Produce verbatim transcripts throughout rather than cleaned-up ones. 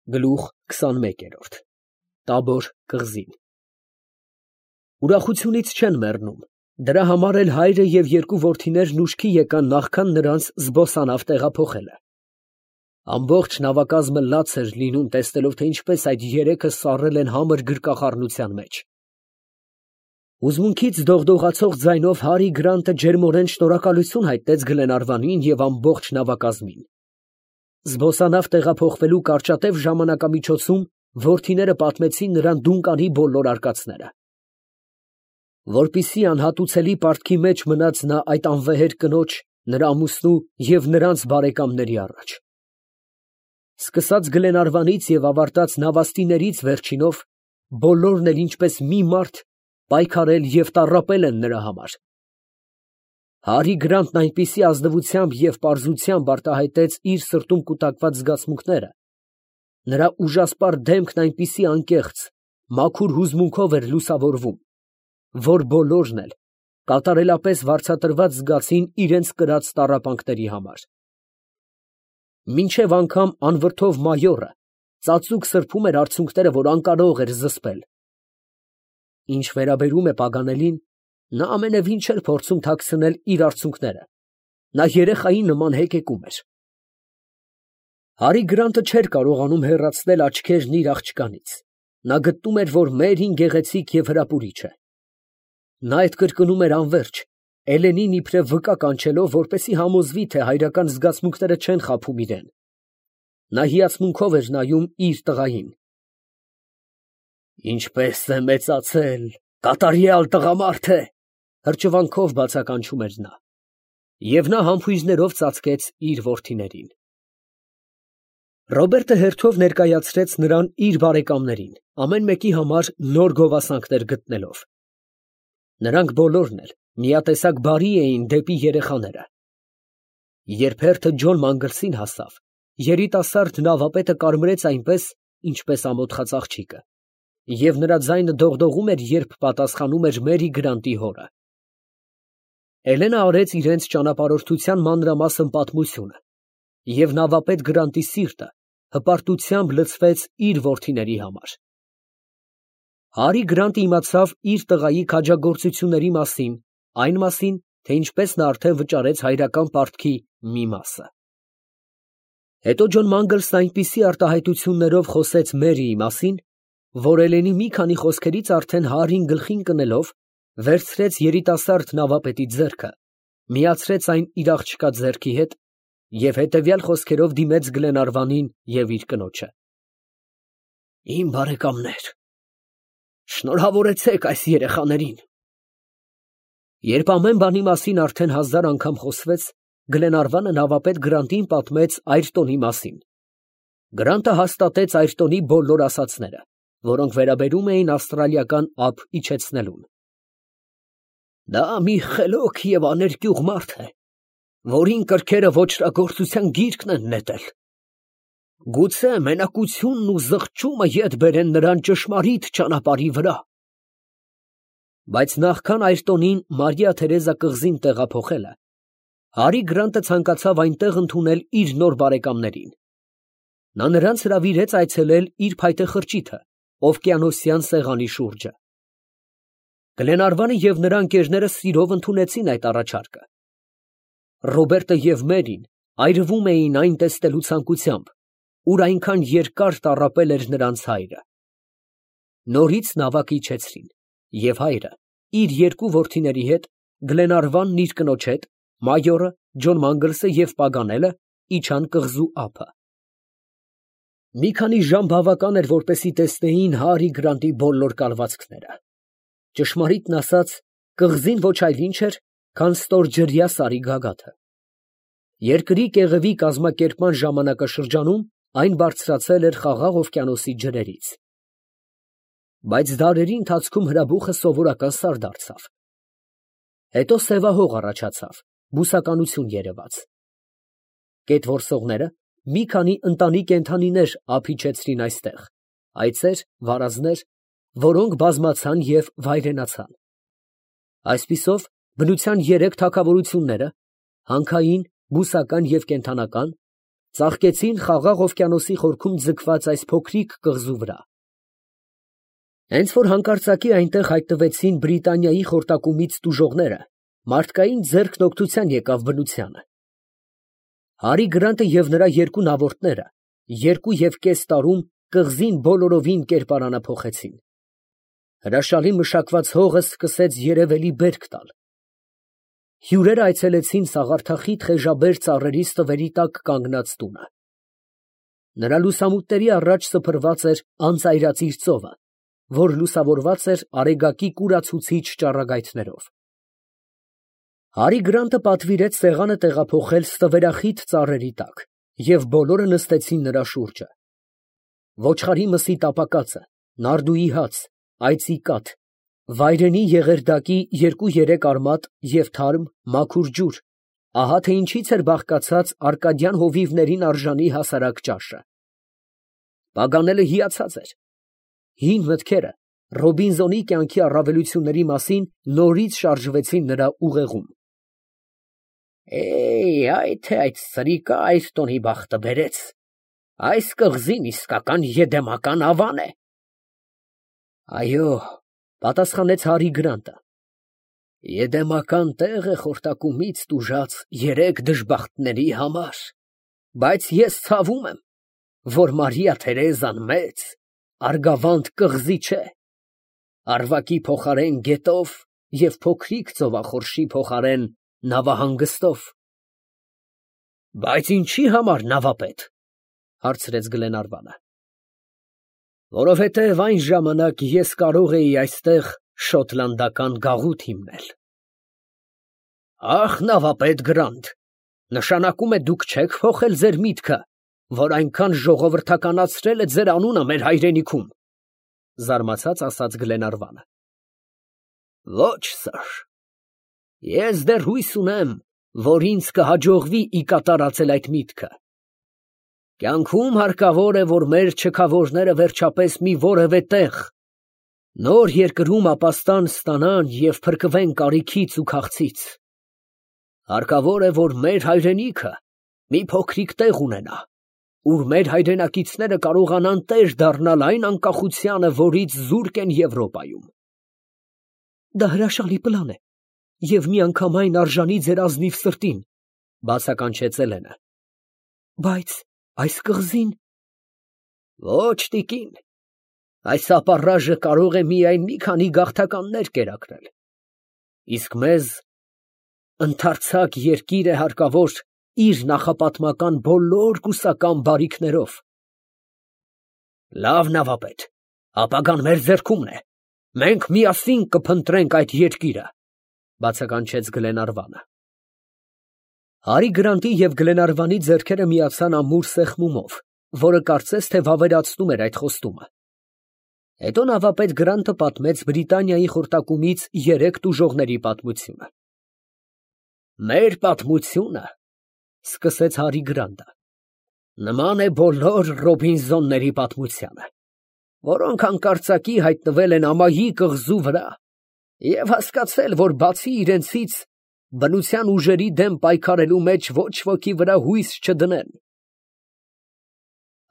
Գլուխ քսանմեկ։ Տաբոր կղզին։ Ուրախությունից չեն մեռնում, դրա համար էլ հայրը և երկու որդիներն ուշքի եկան նախքան նրանց զբոսանավ տեղափոխելը։ Ամբողջ նավակազմը լաց էր լինում, տեսնելով, թե ինչպես այդ երեքը սառել են համր գրկախառնության մեջ։ Հուզմունքից դողդողացող ձայնով Հարի Գրանտը ջերմորեն շնորհակալություն հայտնեց Գլենարվանին և ամբողջ նավակազմին։ Զբոսանավ տեղափոխվելու կարճատև ժամանակամիջոցում որդիները պատմեցին նրան Դունկանի բոլոր արկածները։ Որպեսզի անհատուցելի պարտքի մեջ մնաց նա այդ անվեհեր կնոջ, նրա ամուսնու և նրանց բարեկամների առաջ։ Սկսած Գլենարվանից և ավարտած նավաստիներից վերջինով, բոլորն էլ ինչպես մի մարդ պայքարել և տառապել են նրա համար։ Հարի Գրանտն այնպիսի ազնվությամբ և պարզությամբ արտահայտեց իր սրտում կուտակված զգացմունքները, նրա ուժասպառ դեմքն այնպիսի անկեղծ, մաքուր հուզմունքով էր լուսավորվում, որ բոլորն էլ կատարելապես վարձատրված զգացին իրենց կրած տառապանքների համար։ Մինչև անգամ անվրդով մայորը ծածուկ սրբում էր արցունքները, որ անկարող էր զսպել։ Ինչ վերաբերում է Պագանելին, նա ամենևին չէր փորձում թաքցնել իր արցունքները, նա երեխայի նման հեկեկում էր։ Հարի Գրանտը չէր կարողանում հեռացնել աչքերն իր աղջկանից, նա գտնում էր, որ Մերին գեղեցիկ և հրապուրիչ է։ Նա այդ կրկնում էր անվերջ, Էլենին իբրև վկա կանչելով, որպեսզի համոզվի, թե հայրական զգացմունքները չեն խաբում իրան։ Նա հիացմունքով էր նայում իր տղային։ Ինչպես է մեծացել, կատարյալ տղամարդ է, հրճվանքով բացականչում էր նա։ Եվ նա համբույրներով ծածկեց իր որդիներին։ Ռոբերտը հերթով ներկայացրեց նրան իր բարեկամներին, ամեն մեկի համար նոր գովասանքներ գտնելով։ Նրանք բոլորն էլ միատեսակ բարի էին դեպի երեխաները։ Երբ հերթը Ջոն Մանգլսին հասավ, երիտասարդ նավապետը կարմրեց այնպես, ինչպես ամոթխած աղջիկը, և նրա ձայնը դողդողում էր, երբ պատասխանում էր Մերի Գրանտի հորը։ Էլենը արեց իրենց ճանապարհորդության մանրամասն պատմությունը, և նավապետ Գրանտի սիրտը հպարտությամբ լցվեց իր որդիների համար։ Հարի Գրանտը իմացավ իր տղայի քաջագործությունների մասին, այն մասին, թե ինչպես նա արդեն վճարեց հայրական պարտքի մի մասը։ Հետո Ջոն Մանգլսն այնպիսի արտահայտություններով խոսեց Մերիի մասին, որ Էլենի մի քանի խոսքերից արդեն Հարին գլխին կնելով, վերցրեց երիտասարդ նավապետի ձեռքը, միացրեց այն իր աղջկա ձեռքի հետ և հետևյալ խոսքերով դիմեց Գլենարվանին և իր կնոջը. Իմ բարեկամներ, շնորհավորեցեք այս երեխաներին։ Երբ ամեն բանի մասին արդեն հազար անգամ խոսվեց, Գլենարվանը նավապետ Գրանտին պատմեց Այրտոնի մասին։ Գրանտը հաստատեց Այրտոնի բոլոր ասածները, որոնք վերաբերում էին ավստրալիական ափ իջեցնելուն։ Դա մի խելոք և աներկյուղ մարդ է, որին կրքերը ոճրագործության գիրկն են նետել։ Գուցե մենակությունն ու զղջումը ետ բերեն նրան ճշմարիտ ճանապարհի վրա։ Բայց նախքան Այրտոնին Մարիա Թերեզա կղզին տեղափոխելը, Հարի Գրանտը ցանկացավ այնտեղ ընդունել իր նոր բարեկամներին։ Նա նրանց հրավիրեց այցելել իր փայտե խրճիթը օվկիանոսյան սեղանի շուրջը։ Գլենարվանը և նրա ընկերները սիրով ընդունեցին այդ առաջարկը։ Ռոբերտը և Մերին այրվում էին այն տեսնելու ցանկությամբ, ուր այնքան երկար տառապել էր նրանց հայրը։ Նորից նավակը իջեցրին, և հայրը իր երկու որդիների հետ, Գլենարվանն իր կնոջ հետ, մայորը, Ջոն Մանգլսը և Պագանելը իջան կղզու ափը։ Մի քանի ժամ բավական էր, որպեսզի տեսնեին Հարի Գրանտի բոլոր կալվածքները։ Ճշմարիտն ասած, կղզին ոչ այլ ինչ էր, քան ստորջրյա սարի գագաթը։ Երկրի կեղևի կազմակերպման ժամանակաշրջանում այն բարձրացել էր Խաղաղ օվկիանոսի ջրերից։ Բայց դարերի ընթացքում հրաբուխը սովորական սար դարձավ։ Հետո սևահող առաջացավ, բուսականություն երևաց։ Գետորսողները մի քանի ընտանի կենդանիներ ափ իջեցրին այստեղ, այծեր, վարազներ, որոնք բազմացան և վայրենացան։ Այսպիսով, բնության երեք թագավորությունները՝ հանքային, բուսական և կենդանական, ծաղկեցին խաղաղ օվկիանոսի խորքում ձգված այս փոքրիկ կղզու վրա։ Հենց որ հանկարծակի այնտեղ հայտնվեցին Բրիտանիայի խորտակումից տուժողները, մարդկային ձեռքն օգնության եկավ բնությանը։ Հարի Գրանտը և նրա երկու նավորդները երկու և կես տարում կղզին բոլորովին կերպարանափոխեցին։ Հրաշալի մշակված հողը սկսեց երևելի բերք տալ։ Հյուրերը այցելեցին սաղարթախիտ խեժաբեր ծառերի ստվերի տակ կանգնած տունը։ Նրա լուսամուտների առաջ սփռված էր անծայրածիր ծովը, որ լուսավորված էր արեգակի կուրացուցիչ ճառագայթներով։ Հարի Գրանտը պատվիրեց սեղանը տեղափոխել ստվերախիտ ծառերի տակ, և բոլորը նստեցին նրա շուրջը։ Ոչխարի մսի տապակածը, նարդուի հաց, այծի կաթ, վայրենի եղերդակի երկու֊երեք արմատ և թարմ, մաքուր ջուր, ահա թե ինչից էր բաղկացած արկադյան հովիվներին արժանի հասարակ ճաշը։ Պագանելը հիացած էր։ Հին մտքերը Ռոբինզոնի կյանքի առավելությունների մասին նորից շարժվեցին նրա ուղեղում։ Էյ, այ թե այդ սրիկա Այրտոնի բախտը բերեց, այս կղզին իսկական եդեմական ավան է։ Այո, պատասխանեց Հարի Գրանտը, եդեմական տեղ է խորտակումից տուժած երեք դժբախտների համար, բայց ես ցավում եմ, որ Մարիա Թերեզան մեծ, արգավանդ կղզի չէ, Արվակի փոխարեն գետով և փոքրիկ ծովախորշի փոխարեն նավահանգստով։ Բայց ինչի համար նավապետ, հարցրեց Գլենարվանը։ Որովհետև այն ժամանակ ես կարող էի այստեղ շոտլանդական գաղութ հիմնել։ Ախ, նավապետ Գրանտ, նշանակում է դուք չեք փոխել ձեր միտքը, որ այնքան ժողովրդականացրել է ձեր անունը մեր հայրենիքում, զարմացած ասաց Գլենարվանը։ Ոչ, սըր, ես դեռ հույս ունեմ, որ ինձ կհաջողվի ի կատարածել այդ միտքը։ Կյանքում հարկավոր է, որ մեր չքավորները վերջապես մի որևէ տեղ, նոր երկրում ապաստան ստանան և փրկվեն կարիքից ու քաղցից։ Հարկավոր է, որ մեր հայրենիքը մի փոքրիկ տեղ ունենա, ուր մեր հայրենակիցները կարողանան տեր դառնալ այն անկախությանը, որից զուրկ են Եվրոպայում։ Դա հրաշալի պլան է և միանգամայն արժանի ձեր ազնիվ սրտին, բացականչեց Էլենը։ Բայց այս կղզին… Ոչ, տիկին, այս ապառաժը կարող է միայն մի քանի գաղթականներ կերակրել, իսկ մեզ ընդարձակ երկիր է հարկավոր իր նախապատմական բոլոր կուսական բարիքներով։ Լավ, նավապետ, ապագան մեր ձեռքումն է, մենք միասին կփնտրենք այդ երկիրը, բացականչեց Գլենարվանը։ Հարի Գրանտի և Գլենարվանի ձեռքերը միացան ամուր սեղմումով, որը կարծես թե վավերացնում էր այդ խոստումը։ Հետո նավապետ Գրանտը պատմեց Բրիտանիայի խորտակումից երեք տուժողների պատմությունը։ Մեր պատմությունը, սկսեց Հարի Գրանտը, նման է բոլոր Ռոբինզոնների պատմությանը, որոնք հանկարծակի հայտնվել են ամայի կղզու վրա և հասկացել, որ բացի իրենցից բնության ուժերի դեմ պայքարելու մեջ ոչ ոքի վրա հույս չդնեն։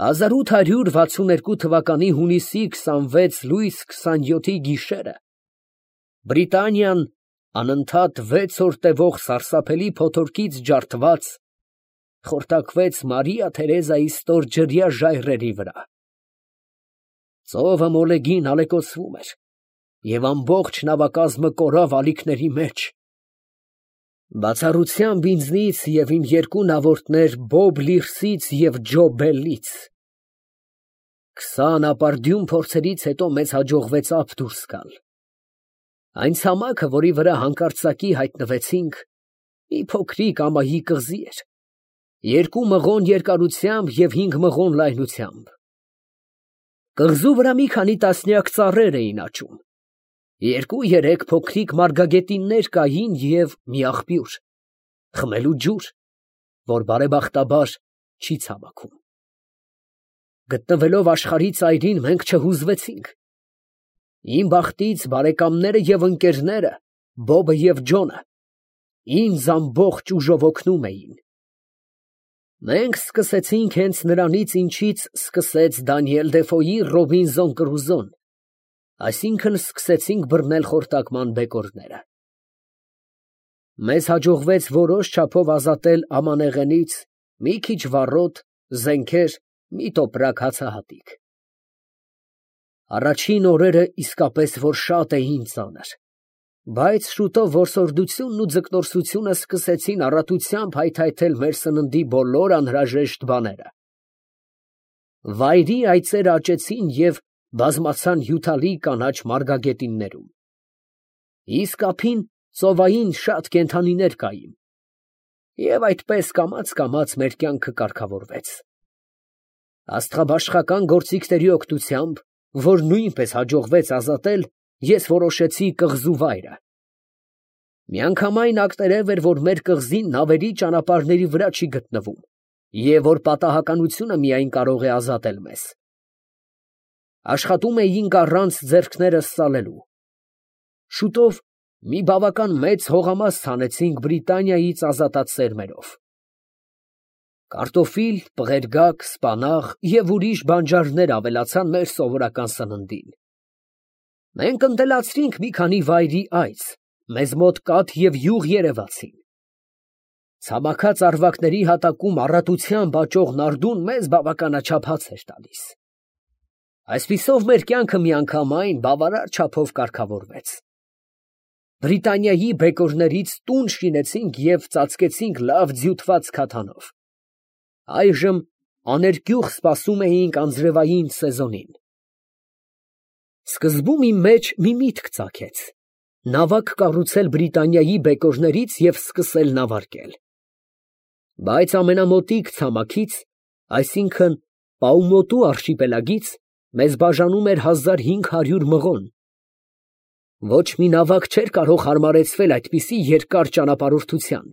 հազար ութ հարյուր վաթսունութ թվականի հունիսի քսանվեց լույս քսանյոթի գիշերը Բրիտանիան անընդհատ վեց օր տևող սարսափելի փոթորկից ջարդված խորտակվեց Մարիա Թերեզայի ստորջրյա ժայռերի վրա։ Ծովը մոլեգին ալեկոծվում էր, և ամբողջ նավակազմը կորավ ալիքների մեջ։ Բացառությամբ ինձնից և իմ երկու նավորդներ Բոբ Լիրսից և Ջո Բելլից։ Քսան ապարդյուն փորձերից հետո մեզ հաջողվեց ափ դուրս գալ։ Այն ցամաքը, որի վրա հանկարծակի հայտնվեցինք, մի փոքրիկ ամայի կղզի էր, երկու մղոն երկարությամբ և հինգ մղոն լայնությամբ։ Կղզու վրա մի քանի տասնյակ ծառեր էին աճում, երկու֊երեք փոքրիկ մարգագետիններ կային և մի աղբյուր, խմելու ջուր, որ բարեբախտաբար չի ցամաքում։ Գտնվելով աշխարհի ծայրին, մենք չհուզվեցինք։ Իմ բախտից բարեկամները և ընկերները, Բոբը և Ջոնը, ինձ ամբողջ ուժով օգնում էին։ Մենք սկսեցինք հենց նրանից, ինչից սկսեց Դանիել Դեֆոյի Ռոբինզոն Կրուզոն, այսինքն սկսեցինք բռնել խորտակման բեկորները։ Մեզ հաջողվեց որոշ չափով ազատել ամանեղենից մի քիչ վառոդ, զենքեր, մի տոպրակ հացահատիկ։ Առաջին օրերը իսկապես որ շատ էին ծանր, բայց շուտով որսորդությունն ու ձկնորսությունը սկսեցին առատությամբ հայթայթել մեր սննդի բոլոր անհրաժեշտ բաները։ Վայրի այծեր աճեցին և բազմացան հյութալի կանաչ մարգագետիններում։ Իսկ ափին ծովային շատ կենդանիներ կային, և այդպես կամաց֊կամաց մեր կյանքը կարգավորվեց։ Աստղաբաշխական գործիքների օգնությամբ, որ նույնպես հաջողվեց ազատել, ես որոշեցի կղզու վայրը։ Միանգամայն ակտերև էր, որ մեր կղզին նավերի ճանապարհների վրա չի գտնվում, և որ պատահականությունը միայն կարող է ազատել մեզ։ Աշխատում էինք առանց ձեռքներս ծալելու։ Շուտով մի բավական մեծ հողամաս հանեցինք Բրիտանիայից ազատած սերմերով։ Կարտոֆիլ, պղերգակ, սպանաղ և ուրիշ բանջարներ ավելացան մեր սովորական սննդին։ Մենք ընտելացրինք մի քանի վայրի այծ, մեզ մոտ կաթ և յուղ երևացին։ Ցամաքած առվակների հատակում առատությամբ աճող նարդուն մեզ բավականաչափ հաց էր տալիս։ Այսպիսով մեր կյանքը միանգամայն բավարար չափով կարգավորվեց։ Բրիտանիայի բեկորներից տուն շինեցինք և ծածկեցինք լավ ձյուտված քաթանով։ Այժմ աներկյուղ սպասում էինք անձրևային սեզոնին։ Սկզբում իմ մեջ մի միտք ծագեց. նավակ կառուցել Բրիտանիայի բեկորներից և սկսել նավարկել։ Բայց ամենամոտիկ ցամաքից, այսինքն Պաումոտու արշիպելագից, մեզ բաժանում էր հազար հինգ հարյուր մղոն։ Ոչ մի նավակ չէր կարող հարմարեցվել այդպիսի երկար ճանապարհորդության։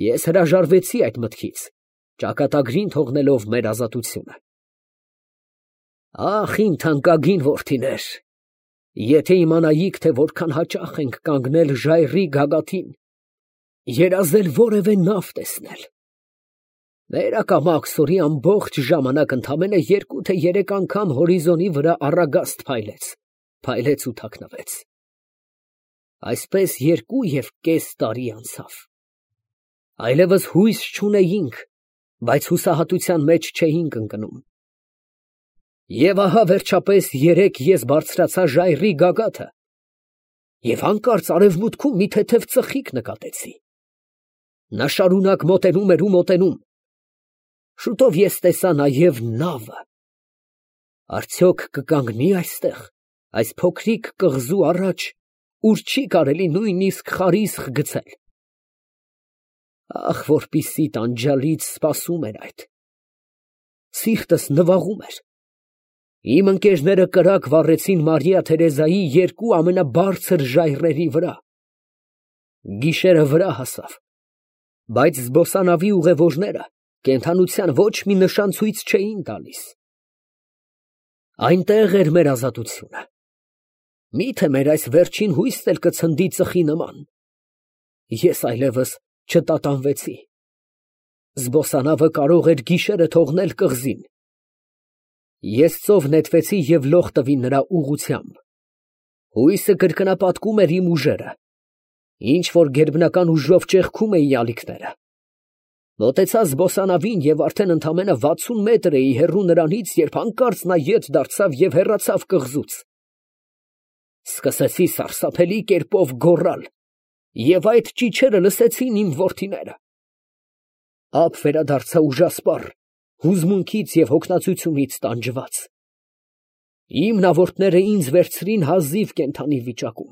Ես հրաժարվեցի այդ մտքից, ճակատագրին թողնելով մեր ազատությունը։ Ախ, իմ թանկագին որդիներ, եթե իմանայիք, թե որքան հաճախ ենք կանգնել ժայռի գագաթին, երազել որևէ նավ տեսնել։ Վերակամաք սորի ամբողջ ժամանակ ընդամենը երկու թե երեք անգամ հորիզոնի վրա առագաստ փայլեց, փայլեց ու թաքնվեց։ Այսպես երկու և կես տարի անցավ։ Այլևս հույս չունեինք, բայց հուսահատության մեջ չէինք ընկնում։ Եվ ահա վերջապես երեկ ես բարձրացա ժայռի գագաթը և հանկարծ արևմուտքում մի թեթև ծխիկ նկատեցի։ Նա շարունակ մոտենում էր ու մոտենում։ Շուտով ես տեսա նաև նավը։ Արդյոք կկանգնի՞ այստեղ, այս փոքրիկ կղզու առաջ, ուր չի կարելի նույնիսկ խարիսխ գցել։ Ախ, որպիսի տանջալից սպասում էր այդ։ Սիրտս նվաղում էր։ Իմ ընկերները կրակ վառեցին Մարիա Թերեզայի երկու ամենաբարձր ժայռերի վրա։ Գիշերը վրա հասավ, բայց զբոսանավի ուղևորները կենդանության ոչ մի նշան ցույց չէին տալիս։ Այնտեղ էր մեր ազատությունը։ Մի՞թե մեր այս վերջին հույսն էլ կցնդի ծխի նման։ Ես այլևս չտատանվեցի։ Զբոսանավը կարող էր գիշերը թողնել կղզին։ Ես ծով նետվեցի և լող տվի նրա ուղղությամբ։ Հույսը կրկնապատկում էր իմ ուժերը, ինչ որ գերբնական ուժով ճեղքում էի ալիքները։ Մոտեցա զբոսանավին և արդեն ընդամենը վաթսուն մետր էի հեռու նրանից, երբ հանկարծ նա ետ դարձավ և հեռացավ կղզուց։ Սկսեցի սարսափելի կերպով գոռալ, և այդ ճիչերը լսեցին իմ որդիները։ Ափ վերադարձա ուժասպառ, հուզմունքից և հոգնածությունից տանջված։ Իմ նավորդները ինձ վերցրին հազիվ կենդանի վիճակում։